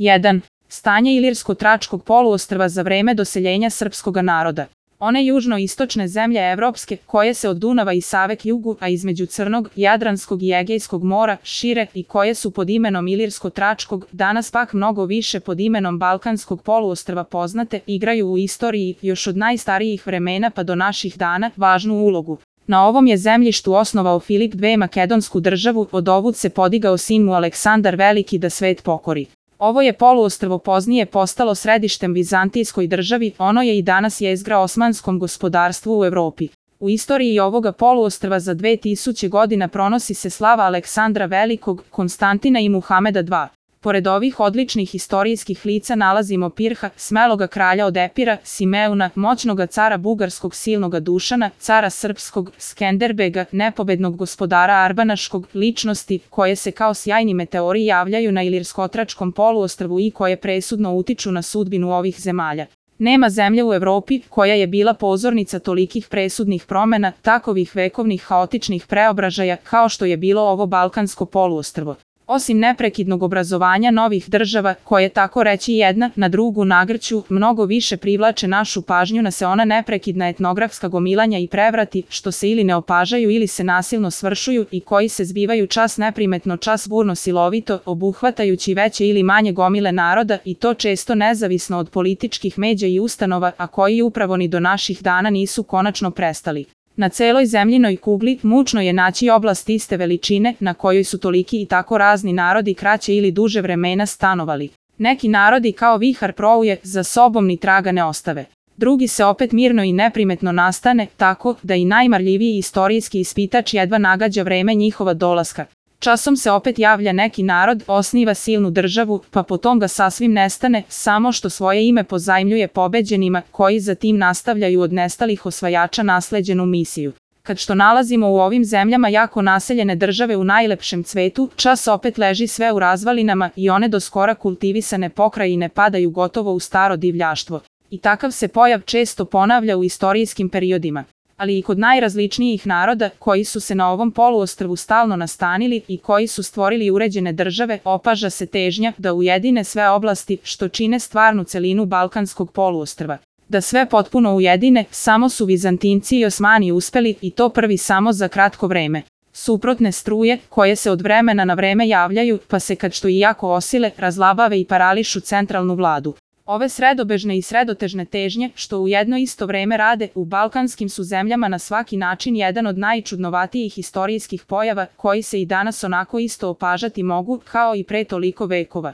1. Stanje Ilirsko-Tračkog poluostrva za vreme doseljenja srpskog naroda. One južno-istočne zemlje evropske, koje se od Dunava i Save k jugu, a između Crnog, Jadranskog i Egejskog mora, šire i koje su pod imenom Ilirsko-Tračkog, danas pak mnogo više pod imenom Balkanskog poluostrva poznate, igraju u istoriji, još od najstarijih vremena pa do naših dana, važnu ulogu. Na ovom je zemljištu osnovao Filip II makedonsku državu, odovud se podigao sin mu Aleksandar Veliki da svet pokori. Ovo je poluostrvo poznije postalo središtem vizantijskoj državi, ono je i danas jezgra osmanskom gospodarstvu u Evropi. U istoriji ovoga poluostrva za 2000 godina pronosi se slava Aleksandra Velikog, Konstantina i Muhameda II. Pored ovih odličnih istorijskih lica nalazimo Pirha, smeloga kralja od Epira, Simeuna, moćnoga cara bugarskog silnoga Dušana, cara srpskog, Skenderbega, nepobednog gospodara Arbanaškog, ličnosti koje se kao sjajni meteori javljaju na Ilirsko-Tračkom poluostrvu i koje presudno utiču na sudbinu ovih zemalja. Nema zemlje u Evropi koja je bila pozornica tolikih presudnih promena, takovih vekovnih haotičnih preobražaja kao što je bilo ovo Balkansko poluostrvo. Osim neprekidnog obrazovanja novih država, koje tako reći jedna na drugu nagrću, mnogo više privlače našu pažnju na se ona neprekidna etnografska gomilanja i prevrati, što se ili ne opažaju ili se nasilno svršuju i koji se zbivaju čas neprimetno, čas burno silovito, obuhvatajući veće ili manje gomile naroda i to često nezavisno od političkih međa i ustanova, a koji upravo ni do naših dana nisu konačno prestali. Na celoj zemljinoj kugli mučno je naći oblast iste veličine na kojoj su toliki i tako razni narodi kraće ili duže vremena stanovali. Neki narodi kao vihar prouje, za sobom ni traga ne ostave. Drugi se opet mirno i neprimetno nastane, tako da i najmarljiviji istorijski ispitač jedva nagađa vreme njihova dolaska. Časom se opet javlja neki narod, osniva silnu državu, pa potom ga sasvim nestane, samo što svoje ime pozajmljuje pobeđenima, koji zatim nastavljaju od nestalih osvajača nasleđenu misiju. Kad što nalazimo u ovim zemljama jako naseljene države u najlepšem cvetu, čas opet leži sve u razvalinama i one do skora kultivisane pokrajine padaju gotovo u staro divljaštvo. I takav se pojav često ponavlja u istorijskim periodima. Ali i kod najrazličnijih naroda koji su se na ovom poluostrvu stalno nastanili i koji su stvorili uređene države, opaža se težnja da ujedine sve oblasti što čine stvarnu celinu Balkanskog poluostrva. Da sve potpuno ujedine, samo su Vizantinci i Osmani uspeli i to prvi samo za kratko vreme. Suprotne struje, koje se od vremena na vreme javljaju, pa se kad što i jako osile, razlabave i parališu centralnu vladu. Ove sredobežne i sredotežne težnje, što u jedno isto vreme rade, u balkanskim su zemljama na svaki način jedan od najčudnovatijih istorijskih pojava, koji se i danas onako isto opažati mogu, kao i pre toliko vekova.